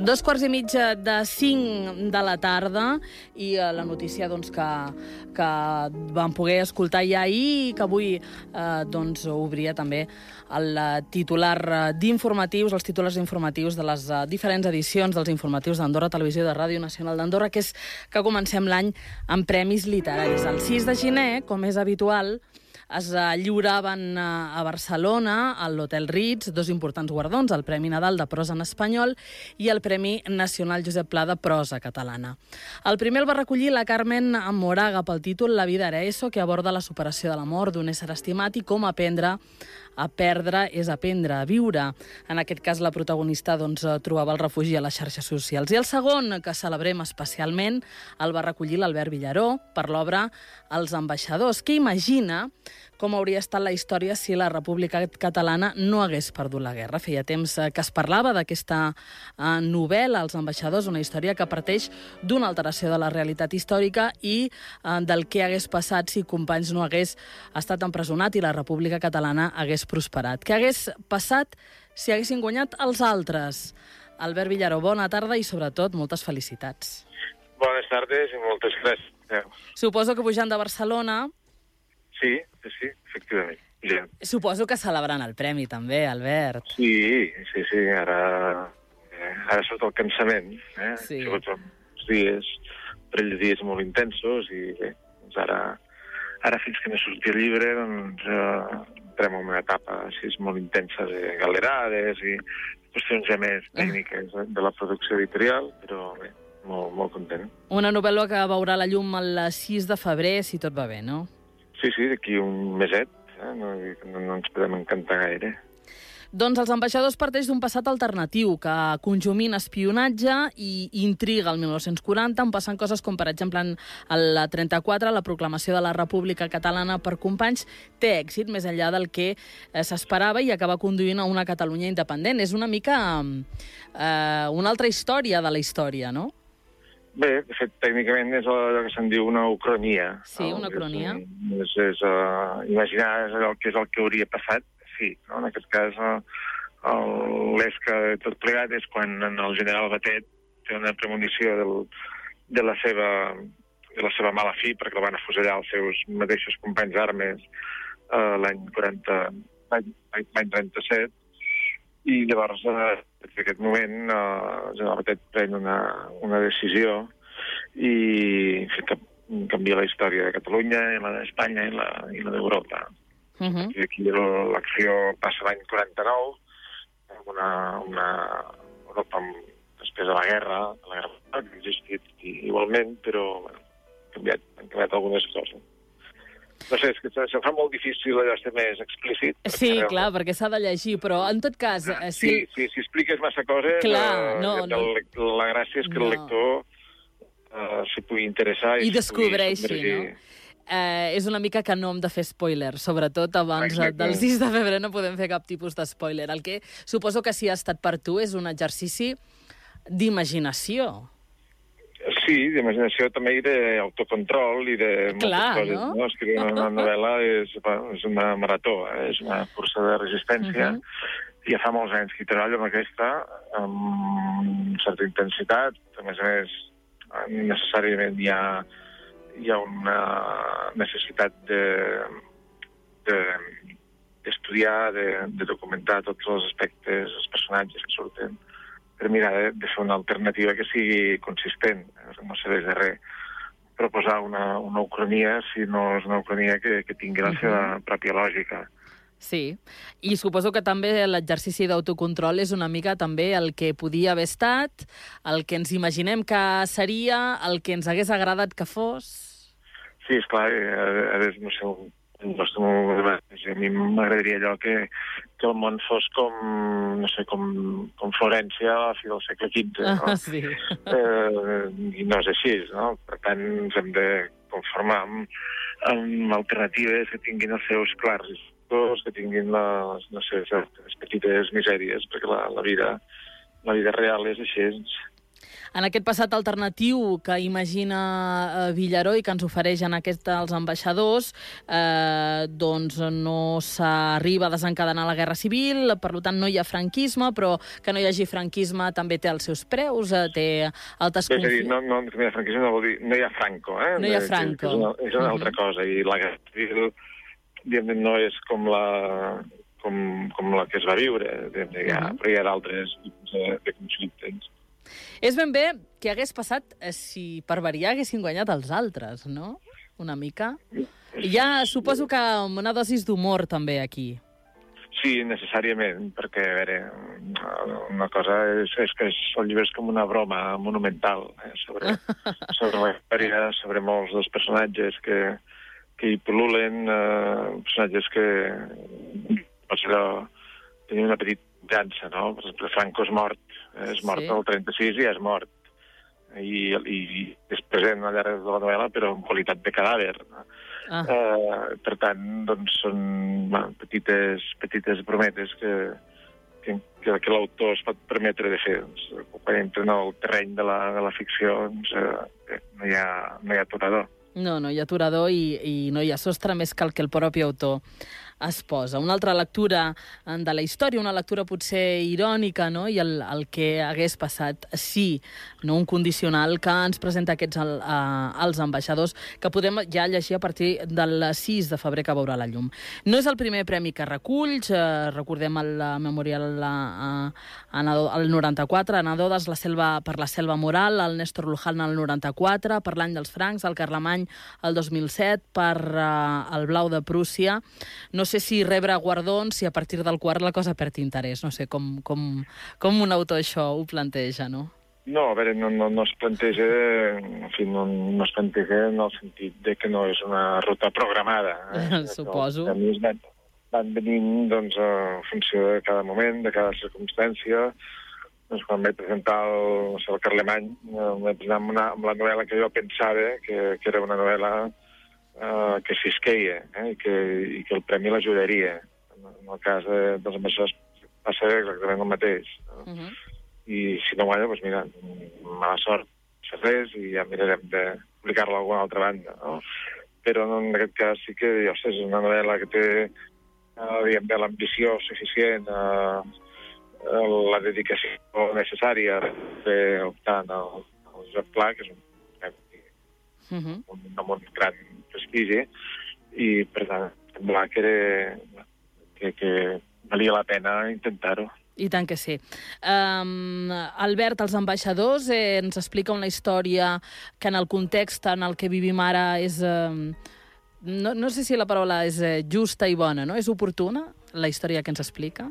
2:45 de la tarda i la notícia que vam poder escoltar ja ahir i que avui obria també el titular d'informatius, els titulars informatius de les diferents edicions dels informatius d'Andorra Televisió de Ràdio Nacional d'Andorra, que és que comencem l'any amb premis literaris. El 6 de gener, com és habitual, es lliuraven a Barcelona, a l'Hotel Ritz, dos importants guardons, el Premi Nadal de Prosa en Espanyol i el Premi Nacional Josep Pla de Prosa Catalana. El primer el va recollir la Carmen Moraga pel títol La vida era eso, que aborda la superació de la mort d'un ésser estimat i com aprendre a perdre és aprendre a viure. En aquest cas, la protagonista trobava el refugi a les xarxes socials. I el segon, que celebrem especialment, el va recollir l'Albert Villaró per l'obra Els ambaixadors, que imagina com hauria estat la història si la República Catalana no hagués perdut la guerra. Feia temps que es parlava d'aquesta novel·la, Els ambaixadors, una història que parteix d'una alteració de la realitat històrica i del que hagués passat si Companys no hagués estat empresonat i la República Catalana hagués prosperat. Què hagués passat si haguessin guanyat els altres? Albert Villaró, bona tarda i, sobretot, moltes felicitats. Bones tardes i moltes gràcies. Suposo que pujant de Barcelona... Sí, efectivament. Ja. Suposo que celebrant el premi, també, Albert. Sí, ara surt el cansament, Sí. Sobretot uns dies, parell de dies molt intensos, i bé, doncs ara fins que no surti el llibre, entrem en una etapa així molt intensa de galerades i qüestions ja més tècniques de la producció editorial, però bé, molt content. Una novel·la que veurà la llum el 6 de febrer, si tot va bé, no? Sí, d'aquí un meset, no ens podem encantar gaire. Doncs Els ambaixadors parteix d'un passat alternatiu que conjumina espionatge i intriga al 1940, on passen coses com, per exemple, en el 34, la proclamació de la República Catalana per Companys té èxit més enllà del que s'esperava i acaba conduint a una Catalunya independent. És una mica una altra història de la història, no? Bé, de fet, tècnicament és allò que se'n diu una ucronia. Sí, una ucronia. És imaginar el que hauria passat, sí. No? En aquest cas, l'esca de tot plegat és quan el general Batet té una premonició de la seva mala fi, perquè el van afusellar els seus mateixos companys d'armes l'any 37, i llavors, en aquest moment, el general Batet pren una decisió i canvia la història de Catalunya, i la d'Espanya i la d'Europa. I aquí l'acció passa l'any 49, amb una Europa després de la guerra que ha existit igualment, però han canviat algunes coses. No sé, és que se'm fa molt difícil allò ser més explícit. Sí, clar, perquè s'ha de llegir, però en tot cas... Si expliques massa coses, la gràcia és que el lector s'hi pugui interessar i descobreixi, no? És una mica que no hem de fer spoiler, sobretot abans del 6 de febrer no podem fer cap tipus de spoiler. El que suposo que si ha estat per tu és un exercici d'imaginació. Sí, d'imaginació també i d'autocontrol i de moltes coses. No? Escriure una novel·la és una marató, és una cursa de resistència. Ja fa molts anys que treballo amb aquesta, amb certa intensitat. A més, necessàriament hi ha una necessitat d'estudiar, de documentar tots els aspectes, els personatges que surten, per mirar de fer una alternativa que sigui consistent. No serveix de res proposar una ucronia si no és una ucronia que tingui la seva pròpia lògica. Sí, i suposo que també l'exercici d'autocontrol és una mica també el que podia haver estat, el que ens imaginem que seria, el que ens hagués agradat que fos... Sí, esclar, no sé, a mi m'agradaria allò que el món fos com Florència a la fi del segle XV, no? Sí. I no és així, no? Per tant, ens hem de conformar amb alternatives que tinguin els seus clars, que tinguin les petites misèries, perquè la vida real és així. En aquest passat alternatiu que imagina Villaró i que ens ofereix en els ambaixadors, doncs no s'arriba a desencadenar la guerra civil, per tant no hi ha franquisme, però que no hi hagi franquisme també té els seus preus, té altes... És a dir, no hi ha franquisme no vol dir no hi ha Franco, No hi ha Franco. És una altra cosa, i la guerra civil no és com la que es va viure, però hi ha d'altres tipus de conflictes. És ben bé que hagués passat si per variar haguessin guanyat els altres, no? Una mica. Ja suposo que amb una dosis d'humor també aquí. Sí, necessàriament, perquè, a veure, una cosa és que el llibre és com una broma monumental sobre la història, sobre molts dels personatges que hi pol·lulen, personatges que pots tenir una petita llança, no? Per exemple, Franco és mort el 36 i ja és mort. I és present al llarg de la novel·la, però en qualitat de cadàver. Per tant, doncs, són petites brometes que l'autor es pot permetre de fer. Quan entra en el terreny de la ficció, no hi ha aturador. No hi ha aturador i no hi ha sostre més que el que el propi autor es posa. Una altra lectura de la història, una lectura potser irònica, no? I el que hagués passat sí, no un condicional que ens presenta els ambaixadors, que podem ja llegir a partir del 6 de febrer que veurà la llum. No és el primer premi que reculls, recordem el memorial al 94, Anadodes per la selva moral, el Néstor Luján al 94, per l'any dels francs, el Carlemany el 2007, per el Blau de Prússia. No sé si rebre guardons, si a partir del quart la cosa perd interès. No sé com un autor això ho planteja, no? No, a veure, no es planteja, en fi, no es planteja en el sentit de que no és una ruta programada. Suposo. Els premis van venint, doncs, en funció de cada moment, de cada circumstància. Doncs quan vaig presentar el Carlemany, vaig presentar amb la novel·la que jo pensava que era una novel·la que s'isqueia i que el premi l'ajudaria. En el cas dels ambaixadors va ser exactament el mateix. I si no guanya, doncs mira, mala sort, no res, i ja mirarem de publicar-la a alguna altra banda, no? Però en aquest cas sí que, és una novel·la que té, diguem, l'ambició suficient, la dedicació necessària per optar al Josep Pla, que és un gran prestigi, i per tant sembla que valia la pena intentar-ho. I tant que sí. Albert, els ambaixadors, ens explica una història que en el context en el que vivim ara és... No sé si la paraula és justa i bona, no? És oportuna, la història que ens explica?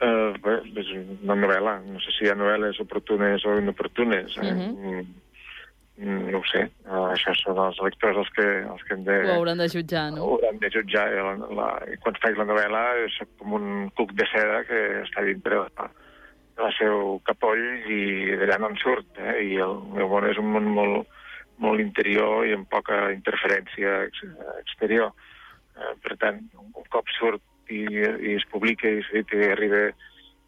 Bé, és una novel·la. No sé si hi ha novel·les oportunes o inoportunes. No ho sé. Això són els lectors els que hem de... Ho hauran de jutjar, no? Ho hauran de jutjar. Quan faig la novel·la és com un cuc de seda que està dintre del seu capoll i d'allà no en surt. I el meu món és un món molt interior i amb poca interferència exterior. Per tant, un cop surt i es publica i arriba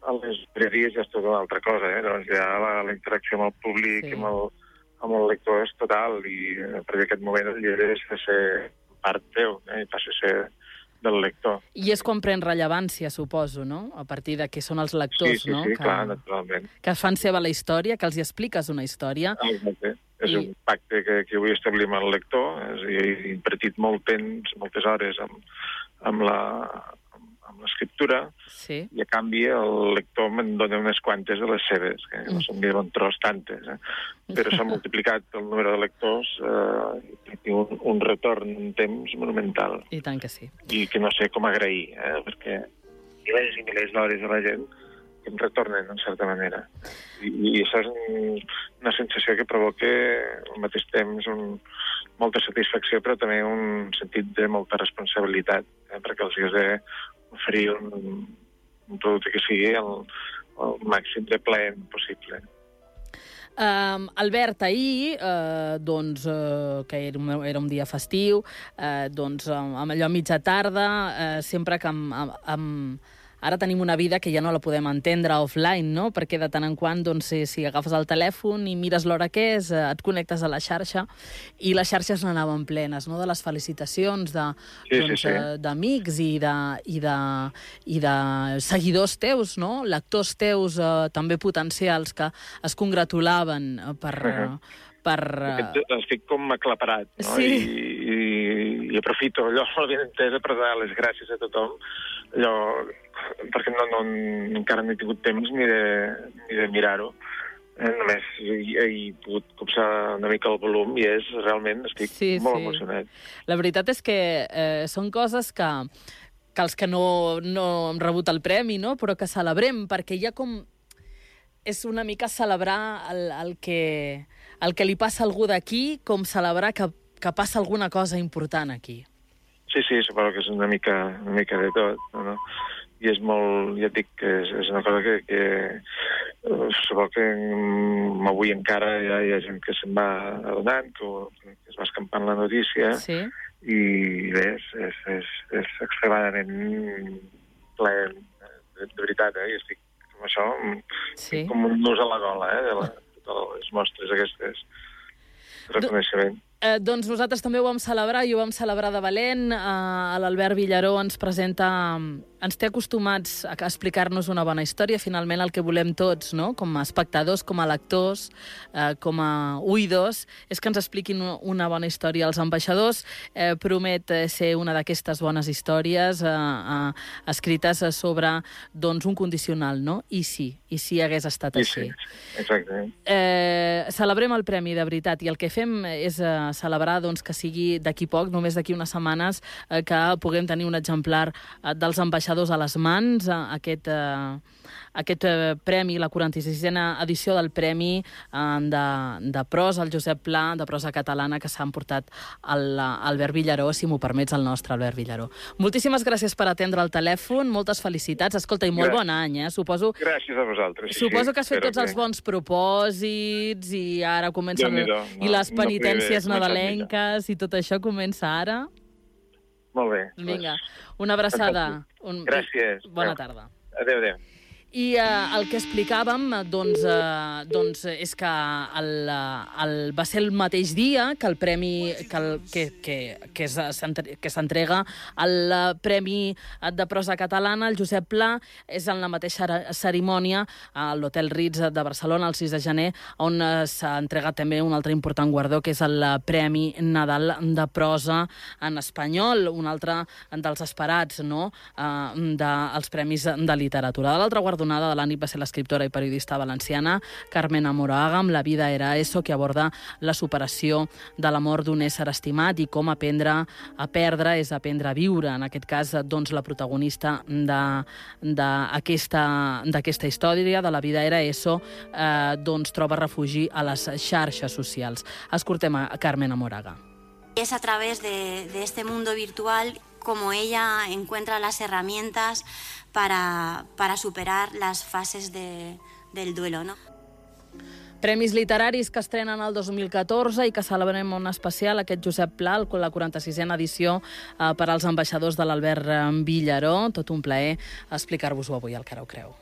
a les llibreries ja és tota una altra cosa. Llavors ja la interacció amb el públic i amb el lector és total, i a partir d'aquest moment el llibre deixa de ser part teu i passa a ser del lector. I és quan pren rellevància, suposo, no? A partir de què són els lectors, no? Sí, clar, naturalment. Que fan seva la història, que els hi expliques una història. Exacte. És un pacte que vull establir amb el lector. He invertit molt temps, moltes hores amb l'escriptura, i a canvi el lector me'n dona unes quantes de les seves, que no són ni bon tros tantes, però s'ha multiplicat el número de lectors i té un retorn en temps monumental. I tant que sí. I que no sé com agrair, perquè milers i milers d'hores de la gent que em retornen, en certa manera. I això és una sensació que provoca al mateix temps molta satisfacció, però també un sentit de molta responsabilitat, perquè els has d'oferir un producte que sigui el màxim de ple possible. Albert, ahir, que era un dia festiu, amb allò a mitja tarda, sempre que ara tenim una vida que ja no la podem entendre offline, no? Perquè de tant en quant, doncs, si agafes el telèfon i mires l'hora que és, et connectes a la xarxa, i les xarxes n'anaven plenes, no?, de les felicitacions d'amics i de seguidors teus, no?, lectors teus també potencials que es congratulaven Estic com aclaparat, no? Sí. I aprofito allò, l'avinentesa, per dar les gràcies a tothom, perquè encara no he tingut temps ni de mirar-ho. Només he pogut copsar una mica el volum i realment estic molt emocionat. La veritat és que són coses que els que no hem rebut el premi, no?, però que celebrem, perquè hi ha com... És una mica celebrar el que li passa a algú d'aquí, com celebrar que passa alguna cosa important aquí. Sí, suposo que és una mica de tot, no? I és molt, ja et dic, que és una cosa que suposo que avui encara hi ha gent que se'n va adonant, que es va escampant la notícia, i bé, és extremadament ple, de veritat, i estic amb això, com un nus a la gola, de les mostres aquestes de reconeixement. Doncs nosaltres també ho vam celebrar, i ho vam celebrar de valent. L'Albert Villaró ens té acostumats a explicar-nos una bona història, finalment el que volem tots, no?, com a espectadors, com a lectors, com a oïdors, és que ens expliquin una bona història. Els ambaixadors promet ser una d'aquestes bones històries escrites sobre, doncs, un condicional, no? I si hagués estat així. Sí, exactament. Celebrem el premi, de veritat, i el que fem és celebrar, doncs, que sigui d'aquí poc, només d'aquí unes setmanes, que puguem tenir un exemplar dels ambaixadors a les mans, aquest premi, la 46a edició del Premi de prosa, el Josep Pla, de prosa catalana, que s'ha emportat l'Albert Villaró, si m'ho permets, el nostre Albert Villaró. Moltíssimes gràcies per atendre el telèfon, moltes felicitats. Escolta, i molt bon any, Suposo... Gràcies a vosaltres. Suposo que has fet tots els bons propòsits i ara comencen... I les penitències nadalenques i tot això comença ara. Molt bé. Vinga, una abraçada. Gràcies. Bona tarda. Adéu. I el que explicàvem, doncs és que va ser el mateix dia que el premi que s'entrega el Premi de Prosa Catalana, el Josep Pla, és en la mateixa cerimònia a l'Hotel Ritz de Barcelona, el 6 de gener, on s'ha entregat també un altre important guardó, que és el Premi Nadal de Prosa en espanyol, un altre dels esperats, no?, dels Premis de Literatura. De l'altra guardonada de la nit va ser l'escriptora i periodista valenciana Carmen Amoraga, amb La vida era eso, que aborda la superació de la mort d'un ésser estimat i com aprendre a perdre és aprendre a viure. En aquest cas, doncs, la protagonista d'aquesta història, de La vida era eso, doncs troba refugi a les xarxes socials. Escoltem a Carmen Amoraga. Es a través de este mundo virtual como ella encuentra las herramientas para superar las fases del duelo, ¿no? Premis literaris que estrenen el 2014 i que celebrem un especial, aquest Josep Pla, la 46a edició per als ambaixadors de l'Albert Villaró. Tot un plaer explicar-vos-ho avui al Cara ho creu.